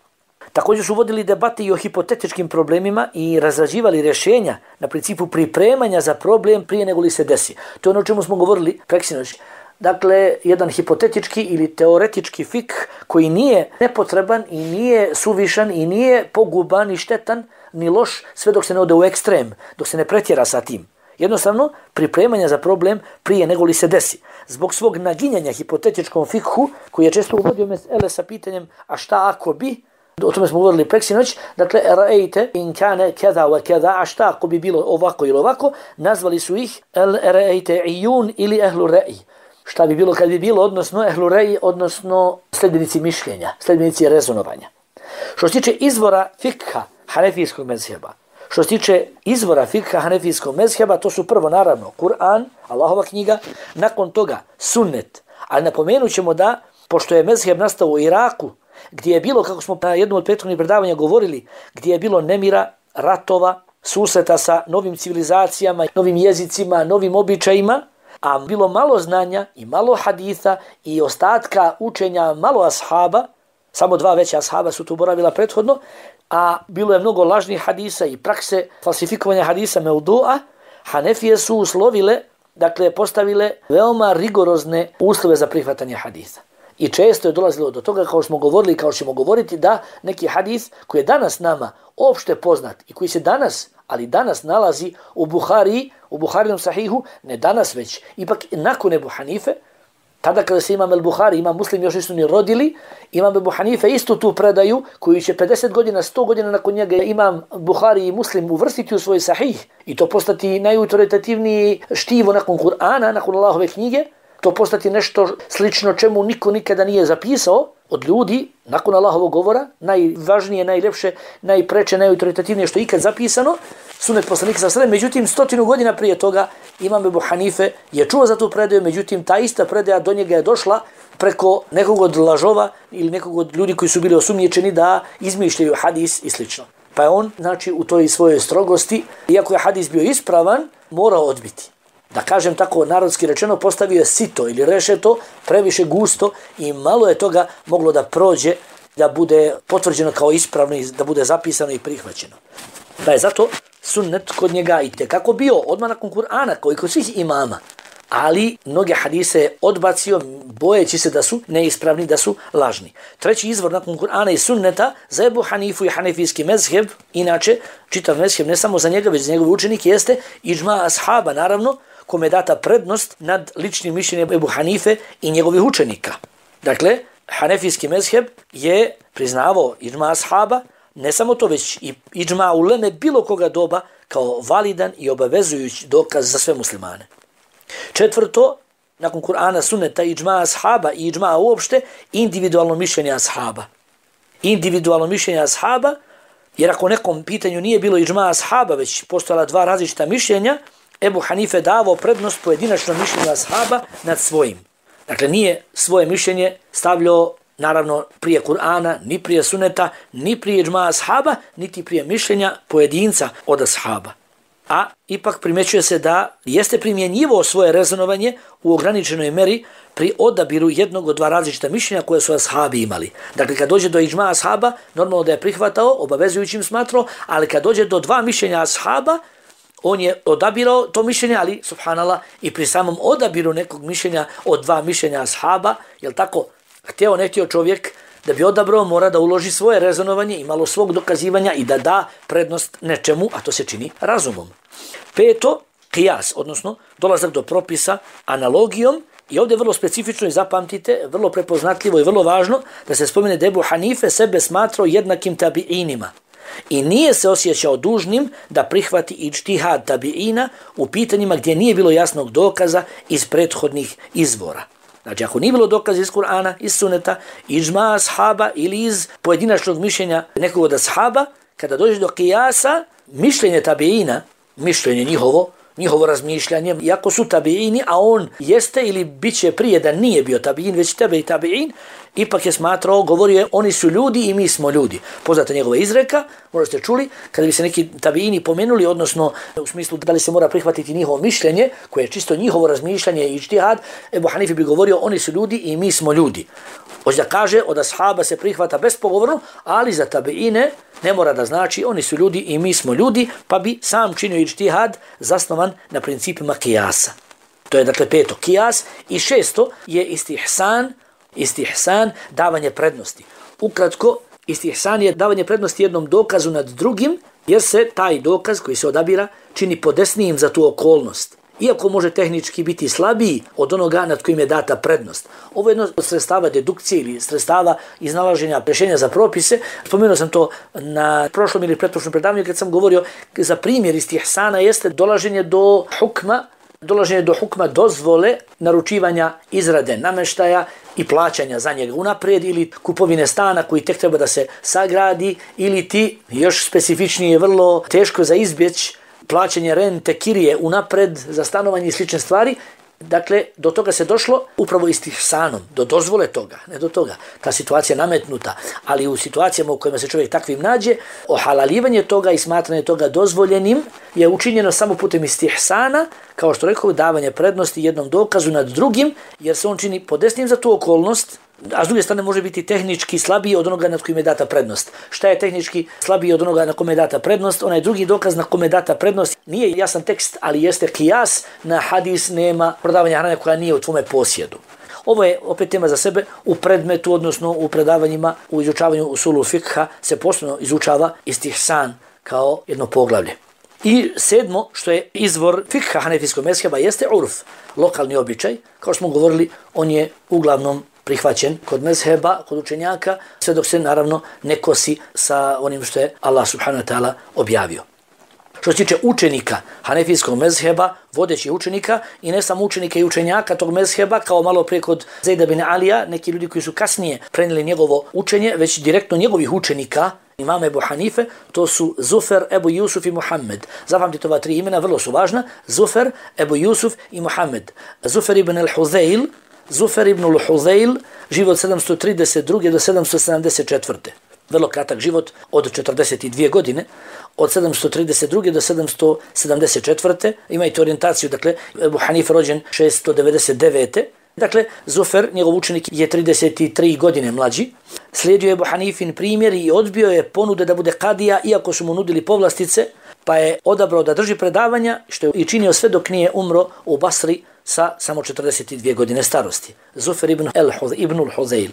Također su vodili debate i o hipotetičkim problemima i razrađivali rješenja na principu pripremanja za problem prije nego li se desi. To je ono o čemu smo govorili preksinoć. Dakle, jedan hipotetički ili teoretički fik koji nije nepotreban i nije suvišan i nije poguban i štetan ni loš sve dok se ne ode u ekstrem, dok se ne pretjera sa tim. Jednostavno, pripremanja za problem prije nego li se desi. Zbog svog naginjanja hipotetičkom fikhu, koji je često uvodio mesele sa pitanjem a šta ako bi, o tome smo govorili preksinoć, dakle, ra'ejte in kane keda wa keda, a šta ako bi bilo ovako ili ovako, nazvali su ih ra'ejte ijun ili ehlu re'i. Šta bi bilo kad bi bilo, odnosno ehlu re'i, odnosno sljedbenici mišljenja, sljedbenici rezonovanja. Što se tiče izvora fikha hanefijskog mezheba, to su prvo naravno Kur'an, Allahova knjiga, nakon toga sunnet. Ali napomenut ćemo da, pošto je mezheb nastao u Iraku, gdje je bilo, kako smo na jednom od prethodnih predavanja govorili, gdje je bilo nemira, ratova, susreta sa novim civilizacijama, novim jezicima, novim običajima, a bilo malo znanja i malo haditha i ostatka učenja malo ashaba, samo 2 veća ashaba su tu boravila prethodno, a bilo je mnogo lažnih hadisa i prakse falsifikovanja hadisa meudu'a, Hanefije su uslovile, dakle postavile veoma rigorozne uslove za prihvatanje hadisa. I često je dolazilo do toga, kao smo govorili i kao ćemo govoriti, da neki hadis koji je danas nama opšte poznat i koji se danas, ali danas nalazi u Buharinom sahihu, ne danas već, ipak nakon Ebu Hanife, tada kada se Imam el-Buhari, Imam Muslim još nisu ni rodili, Imam Ebu Hanife isto tu predaju, koju će 50 godina, 100 godina nakon njega Imam Buhari i Muslim uvrstiti u svoj sahih i to postati najautoritativniji štivo nakon Kur'ana, nakon Allahove knjige, to postati nešto slično čemu niko nikada nije zapisao od ljudi nakon Allahovog govora, najvažnije, najljepše, najpreče, najautoritativnije što je ikad zapisano, sunet poslanika sa sredem. Međutim, 100 godina prije toga Imam Ebu Hanife je čuo za tu predaju, međutim, ta ista predaja do njega je došla preko nekog od lažova ili nekog od ljudi koji su bili osumnjičeni da izmišljaju hadis i slično. Pa je on, znači, u toj svojoj strogosti, iako je hadis bio ispravan, morao odbiti. Da kažem tako narodski rečeno, postavio je sito ili rešeto previše gusto i malo je toga moglo da prođe, da bude potvrđeno kao ispravno i da bude zapisano i prihvaćeno. Pa je zato sunnet kod njega i tekako bio odmah nakon Kur'ana, kao i kod svih imama. ali mnoge hadise je odbacio bojeći se da su neispravni, da su lažni. Treći izvor nakon Kur'ana i sunneta za Ebu Hanifu i hanefijski mezheb, inače čitav mezheb ne samo za njega već za njegov učenik, jeste iđma ashaba, naravno, kome je data prednost nad ličnim mišljenjem Ebu Hanife i njegovih učenika. Dakle, hanefijski mezheb je priznavao iđma ashaba, ne samo to, već i iđma uleme bilo koga doba kao validan i obavezujući dokaz za sve muslimane. Četvrto, nakon Kur'ana, sunneta, iđma ashaba i iđma uopšte, individualno mišljenje ashaba. Individualno mišljenje ashaba, jer ako nekom pitanju nije bilo iđma ashaba, već postojala dva različita mišljenja, Ebu Hanife davao prednost pojedinačnom mišljenju ashaba nad svojim. Dakle, nije svoje mišljenje stavljao, naravno, prije Kur'ana, ni prije sunneta, ni prije iđma ashaba, niti prije mišljenja pojedinca od ashaba. A ipak primjećuje se da jeste primjenjivo svoje rezonovanje u ograničenoj meri pri odabiru jednog od dva različita mišljenja koje su ashabi imali. Dakle, kad dođe do iđma ashaba, normalno da je prihvatao, obavezujućim smatrao, ali kad dođe do dva mišljenja ashaba, on je odabirao to mišljenje, ali, subhanallah, i pri samom odabiru nekog mišljenja od dva mišljenja ashaba, jel tako, htio ne htio čovjek da bi odabrao, mora da uloži svoje rezonovanje i malo svog dokazivanja i da da prednost nečemu, a to se čini razumom. Peto, qiyas, odnosno dolazak do propisa analogijom, i ovdje vrlo specifično i zapamtite, vrlo prepoznatljivo i vrlo važno da se spomene da Ebu Hanife sebe smatrao jednakim tabiinima i nije se osjećao dužnim da prihvati ijtihad tabiina u pitanjima gdje nije bilo jasnog dokaza iz prethodnih izvora. Znači, ako nije bilo dokaza iz Kur'ana, iz sunneta, iđma ashaba ili iz pojedinačnog mišljenja nekog od ashaba, kada dođe do qiyasa, mišljenje tabiina, mišljenje njihovo razmišljanje, iako su tabiini, a on jeste ili bit će prije da nije bio tabiin, već tebe i tabiin, ipak je smatrao, govorio je, oni su ljudi i mi smo ljudi. Poznata njegova izreka, možda ste čuli, kada bi se neki tabiini pomenuli, odnosno u smislu da li se mora prihvatiti njihovo mišljenje, koje je čisto njihovo razmišljanje i ijtihad, Ebu Hanife bi govorio, oni su ljudi i mi smo ljudi. Hoće da kaže, od ashaba se prihvata bespogovorno, ali za tabiine ne mora da znači, oni su ljudi i mi smo ljudi, pa bi sam činio ijtihad zasnovan na principima qiyasa. To je dakle peto, qiyas. I šesto je istihsan, davanje prednosti. Ukratko, istihsan je davanje prednosti jednom dokazu nad drugim, jer se taj dokaz koji se odabira čini podesnijim za tu okolnost. Iako može tehnički biti slabiji od onoga nad kojim je data prednost. Ovo je jedno od sredstava dedukcije ili sredstava iznalaženja rješenja za propise. Spomenuo sam to na prošlom ili pretprošlom predavanju kad sam govorio za primjer istihsana jeste dolaženje do hukma dozvole naručivanja izrade namještaja i plaćanja za njega unaprijed ili kupovine stana koji tek treba da se sagradi ili ti još specifičnije vrlo teško za izbjeć plaćanje rente, kirije unapred za stanovanje i slične stvari. Dakle, do toga se došlo upravo istihsanom, do dozvole toga, ne do toga. Ta situacija nametnuta, ali u situacijama u kojima se čovjek takvim nađe, ohalaljivanje toga i smatranje toga dozvoljenim je učinjeno samo putem istihsana, kao što rekao, davanje prednosti jednom dokazu nad drugim, jer se on čini podesnim za tu okolnost, a s druge strane može biti tehnički slabiji od onoga nad kojim je data prednost. Šta je tehnički slabiji od onoga na kome je data prednost? Onaj drugi dokaz na kome je data prednost nije jasan tekst, ali jeste qiyas, na hadis nema prodavanja hrane koja nije u tvome posjedu. Ovo je opet tema za sebe. U predmetu, odnosno u predavanjima, u izučavanju usulu fikha se posebno izučava istihsan kao jedno poglavlje. I sedmo, što je izvor fikha hanefijskog mezheba, jeste urf, lokalni običaj. Kao što smo govorili, on je uglavnom prihvaćen kod mezheba, kod učenjaka, sve dok se naravno ne kosi sa onim što je Allah subhanahu wa ta'ala objavio. Što se tiče učenika hanefijskog mezheba, vodećih učenika i ne samo učenika i učenjaka tog mezheba, kao malo prije kod Zejda bin Alija, neki ljudi koji su kasnije prenijeli njegovo učenje, već direktno njegovih učenika, imama Ebu Hanife, to su Zufer, Ebu Jusuf i Muhammed. Zapamtite ova tri imena, vrlo su važna. Zufer, Ebu Jusuf i Muhammed. Zufer ibn al-Huzayl, Zufer ibn al-Huzayl, život 732. do 774. Vrlo kratak život od 42 godine, od 732. do 774. Imajte orijentaciju, dakle, Ebu Hanife rođen 699. Dakle, Zufer, njegov učenik, je 33 godine mlađi. Slijedio je Ebu Hanifin primjer i odbio je ponude da bude kadija, iako su mu nudili povlastice, pa je odabrao da drži predavanja, što je i činio sve dok nije umro u Basri sa samo 42 godine starosti. Zufer ibn al-Hudhayl.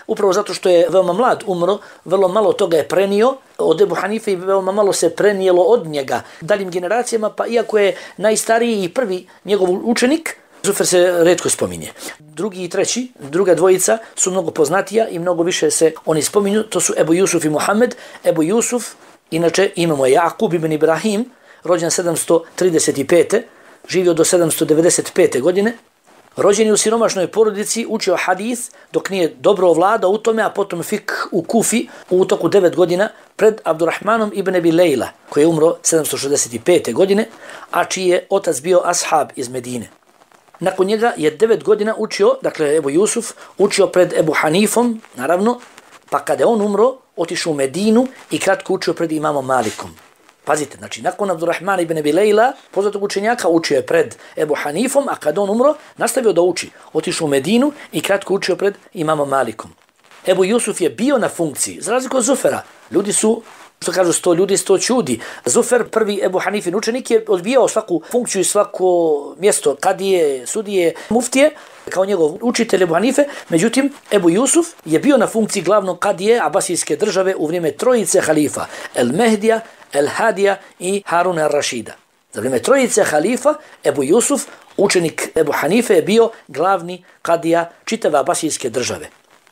Upravo zato što je veoma mlad umro, vrlo malo toga je prenio od Ebu Hanife i veoma malo se prenijelo od njega daljim generacijama, pa iako je najstariji i prvi njegov učenik, Zufer se retko spominje. Drugi i treći, druga dvojica su mnogo poznatija i mnogo više se oni spominju, to su Ebu Jusuf i Muhammed. Ebu Jusuf, inače imamo je Jakub ibn Ibrahim, rođen 735. živio do 795. godine. Rođen je u siromašnoj porodici, učio hadis dok nije dobro ovladao u tome, a potom fik u Kufi u toku 9 godina pred Abdurrahmanom ibn Abi Lejla, koji je umro 765. godine, a čiji je otac bio ashab iz Medine. Nakon njega je 9 godina učio, dakle Ebu Jusuf, učio pred Ebu Hanifom, naravno, pa kada je on umro, otišao u Medinu i kratko učio pred imamom Malikom. Pazite, znači nakon Abdurrahmana ibn Abi Lejla, poznatog učenjaka, učio je pred Ebu Hanifom, a kada on umro, nastavio da uči. Otišao u Medinu i kratko učio pred imamom Malikom. Ebu Jusuf je bio na funkciji, za razliku od Zufera. Ljudi su, što kažu, 100 ljudi, 100 čudi. Zufer, prvi Ebu Hanifin učenik, je odbijao svaku funkciju i svako mjesto, kadije, sudije, muftije, kao njegov učitelj Ebu Hanife. Međutim, Ebu Jusuf je bio na funkciji glavnog kadije Abasijske države u vrijeme trojice halifa, El Mehdija, El Hadija i Haruna al-Rašida. Za vrijeme trojice halifa, Ebu Jusuf, učenik Ebu Hanife, je bio glavni kadija čitave Abasijske države.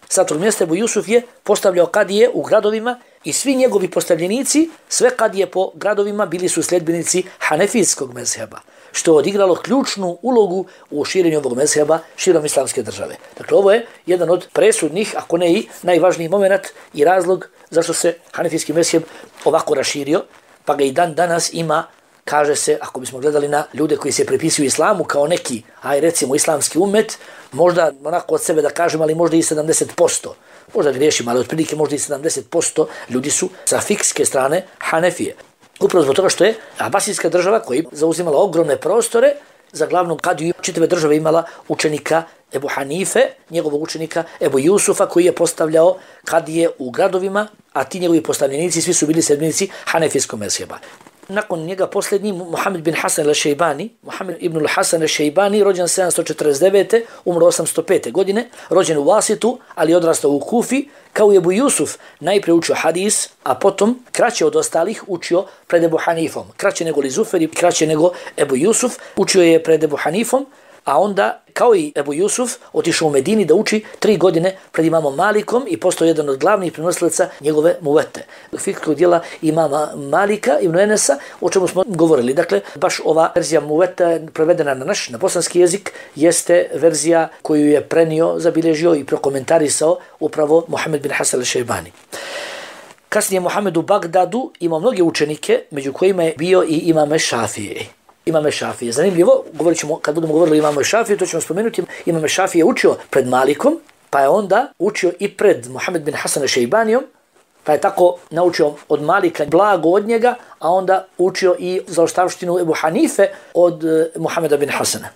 Sa tog mjesta Ebu Jusuf je postavljao kadije u gradovima i svi njegovi postavljenici, sve kadije po gradovima, bili su sljedbenici hanefijskog mezheba, što je odigralo ključnu ulogu u širenju ovog mezheba širom islamske države. Dakle, ovo je jedan od presudnih, ako ne i najvažniji moment i razlog zašto se hanefijski mezheb ovako raširio, pa ga i dan danas ima, kaže se, ako bismo gledali na ljude koji se prepisuju islamu kao neki, recimo islamski umet, možda onako od sebe da kažem, ali možda i 70%. Možda griješim, ali otprilike možda i 70% ljudi su sa fikske strane Hanefije. Upravo zbog toga što je Abasijska država, koja je zauzimala ogromne prostore, za glavnog kadiju čitave države imala učenika Ebu Hanife, njegovog učenika Ebu Jusufa, koji je postavljao kadije u gradovima, a ti njegovi postavljenici svi su bili sljedbenici hanefijskog mezheba. Nakon njega posljednji Muhammed bin Hasan al-Šejbani, Muhammed ibn al-Hasan al-Šejbani, rođen 749. umro 805. godine, rođen u Vasitu, ali odrastao u Kufi, kao i Ebu Jusuf, najprije učio hadis, a potom, kraće od ostalih, učio pred Ebu Hanifom. Kraće nego li Zufer i kraće nego Ebu Jusuf, učio je pred Ebu Hanifom, a onda, kao i Ebu Jusuf, otišao u Medini da uči 3 godine pred imamom Malikom i postao jedan od glavnih prenosilaca njegove muvete. Fikskog dijela imama Malika ibn Enesa, o čemu smo govorili. Dakle, baš ova verzija muveta prevedena na naš, na bosanski jezik, jeste verzija koju je prenio, zabilježio i prokomentarisao upravo Muhammed bin Hasan al-Šejbani. Kasnije Muhammed u Bagdadu imao mnoge učenike, među kojima je bio i imam Šafije. Imam Šafije. Zanimljivo, govorit ćemo, kad budemo govorili o imam Šafije, to ćemo spomenuti. Imam Šafije je učio pred Malikom, pa je onda učio i pred Muhammed bin Hasan al-Šejbanijom, pa je tako naučio od Malika blago od njega, a onda učio i zaostavštinu Ebu Hanife od Muhammeda bin Hasana.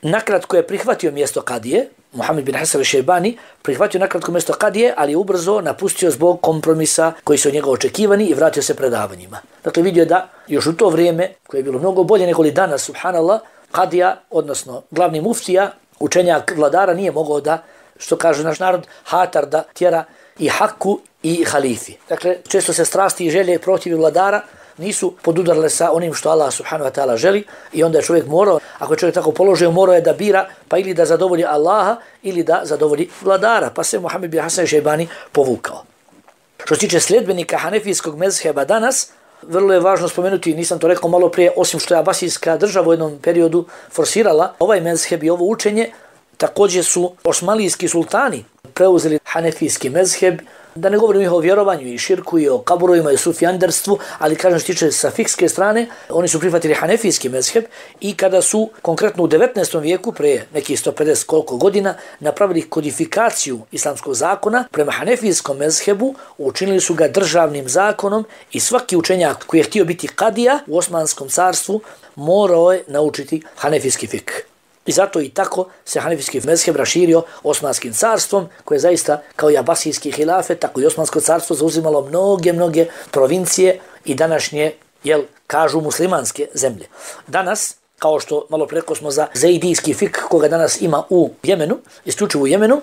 Nakratko je prihvatio mjesto kadije, Muhammed bin Hasan al-Šejbani prihvatio nakratko mjesto kadije, ali je ubrzo napustio zbog kompromisa koji su od njega očekivani i vratio se predavanjima. Dakle, vidio da još u to vrijeme, koje je bilo mnogo bolje nego li danas, subhanallah, kadija, odnosno glavni muftija, učenjak vladara, nije mogao da, što kaže naš narod, hatar da tjera i haku i halifi. Dakle, često se strasti i želje protiv vladara nisu podudarale sa onim što Allah subhanahu wa ta'ala želi i onda je čovjek morao, ako je čovjek tako položio, morao je da bira pa ili da zadovolji Allaha ili da zadovolji vladara, pa se Muhammed bin Hasan al-Šejbani povukao. Što se tiče sljedbenika hanefijskog mezheba danas, vrlo je važno spomenuti, nisam to rekao malo prije, osim što je Abasijska država u jednom periodu forsirala ovaj mezheb i ovo učenje, također su osmanlijski sultani preuzeli hanefijski mezheb, da ne govorim o vjerovanju i širku i o kaburovima i sufijanderstvu, ali kažem što tiče sa fikske strane, oni su prihvatili hanefijski mezheb i kada su konkretno u 19. vijeku, prije nekih 150 koliko godina, napravili kodifikaciju islamskog zakona prema hanefijskom mezhebu, učinili su ga državnim zakonom i svaki učenjak koji je htio biti kadija u Osmanskom carstvu morao je naučiti hanefijski fik. I zato i tako se hanefijski mezheb raširio Osmanskim carstvom, koje je zaista kao i Abasijski hilafet, tako i Osmansko carstvo zauzimalo mnoge provincije i današnje, kažu muslimanske zemlje. Danas kao što malo preko smo za zaidijski fik koga danas ima u Jemenu, isključivo u Jemenu.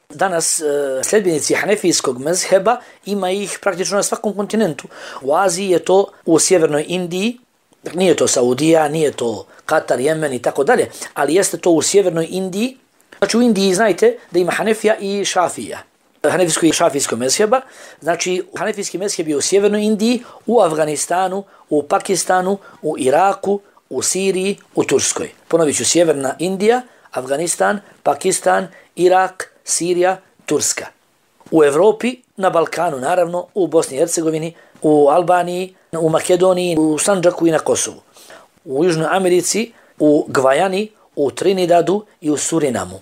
Danas sljedbenici hanefijskog mezheba ima ih praktično na svakom kontinentu. U Aziji je to u sjevernoj Indiji, nije to Saudija, nije to Katar, Jemen i tako dalje, ali jeste to u sjevernoj Indiji. Znači u Indiji znajte da ima Hanefija i Šafija. Hanefijsko i šafijsko mezheba. Znači hanefijski mezheb je u sjevernoj Indiji, u Afganistanu, u Pakistanu, u Iraku, u Siriji, u Turskoj. Ponovit ću, sjeverna Indija, Afganistan, Pakistan, Irak, Sirija, Turska. U Evropi, na Balkanu naravno, u Bosni i Hercegovini, u Albaniji, u Makedoniji, u Sandžaku i na Kosovu. U Južnoj Americi, u Gvajani, u Trinidadu i u Surinamu.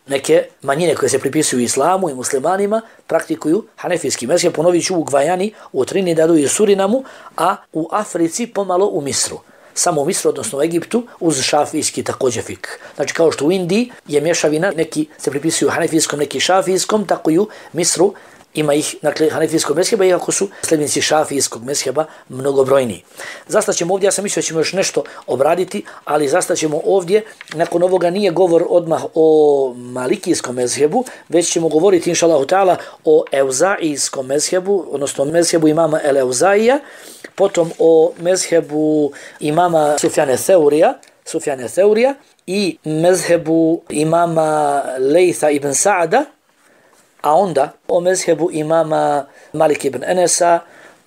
Neke manjine koje se pripisuju islamu i muslimanima praktikuju hanefijski mezheb, ponovit ću, u Gvajani, u Trinidadu i u Surinamu, a u Africi pomalo u Misru. Samo u Misru, odnosno u Egiptu, uz šafijski također fik. Znači kao što u Indiji je mješavina, neki se pripisuju hanefijskom, neki šafijskom, tako i u Misru ima ih, dakle, hanefijskog mezheba, iako su sljedbenici šafijskog mezheba mnogobrojniji. Zastaćemo ovdje, ja sam mislio da ćemo još nešto obraditi, ali zastaćemo ovdje, nakon ovoga nije govor odmah o malikijskom mezhebu, već ćemo govoriti, inša Allahu ta'ala, o euzaijskom mezhebu, odnosno mezhebu imama el-Euzaija, potom o mezhebu imama Sufjane Theurija i mezhebu imama Lejtha ibn Sa'da, a onda o mezhebu imama Malik ibn Enesa,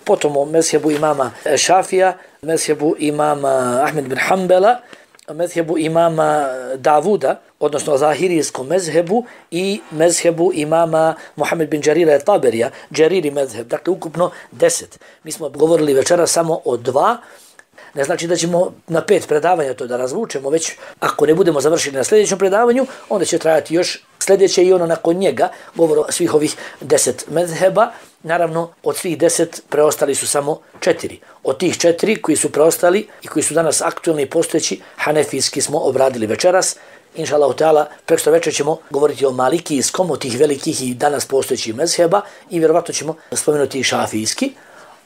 potom o mezhebu imama Šafija, mezhebu imama Ahmed bin Hanbala, mezhebu imama Davuda, odnosno zahirijskom mezhebu i mezhebu imama Muhammed bin Đarira Taberija, Đariri mezheb, dakle ukupno 10. Mi smo govorili večera samo o 2, ne znači da ćemo na 5 predavanja to da razvučemo, već ako ne budemo završili na sljedećem predavanju, onda će trajati još sljedeće i ono nakon njega, govor o svih ovih 10 mezheba. Naravno, od svih 10 preostali su samo 4. Od tih 4 koji su preostali i koji su danas aktualni i postojeći, hanefijski smo obradili večeras. Inša Allahu ta'ala, prekosutra večer ćemo govoriti o malikijskom, od tih velikih i danas postojećih mezheba i vjerovatno ćemo spomenuti i šafijski.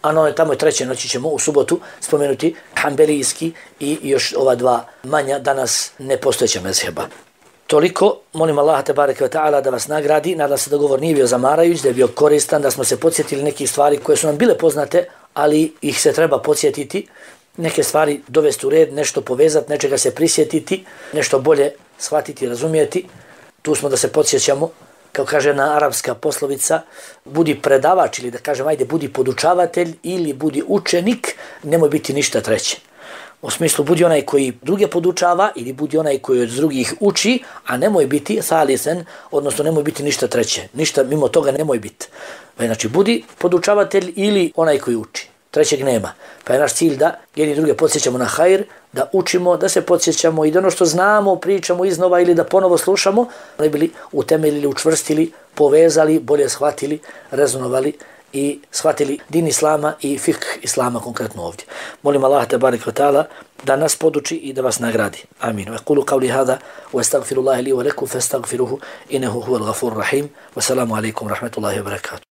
A tamo je treće noći ćemo u subotu spomenuti hanbelijski i još ova 2 manja danas nepostojeća mezheba. Toliko, molim Allaha tebareke ve ta'ala da vas nagradi, nadam se da govor nije bio zamarajuć, da je bio koristan, da smo se podsjetili nekih stvari koje su nam bile poznate, ali ih se treba podsjetiti, neke stvari dovesti u red, nešto povezati, nečega se prisjetiti, nešto bolje shvatiti, razumijeti. Tu smo da se podsjećamo, kao kaže jedna arapska poslovica, budi predavač ili da kažem, ajde, budi podučavatelj ili budi učenik, nemoj biti ništa treće. U smislu, budi onaj koji druge podučava ili budi onaj koji od drugih uči, a nemoj biti thalithen, odnosno nemoj biti ništa treće. Ništa mimo toga nemoj biti. Znači, budi podučavatelj ili onaj koji uči. Trećeg nema. Pa je naš cilj da jedni druge podsjećamo na hajr, da učimo, da se podsjećamo i da ono što znamo pričamo iznova ili da ponovo slušamo, da bili utemeljili, učvrstili, povezali, bolje shvatili, rezonovali i shvatili din islama i fikh islama konkretno ovdje. Molim Allah tebareke ve ta'ala da nas poduči i da vas nagradi. Amin. Wa qulu qawli hada wa astaghfirullaha li wa lakum fastaghfiruhu innahu huwal ghafurur rahim. Wa salamu alaykum wa rahmatullahi wa barakatuh.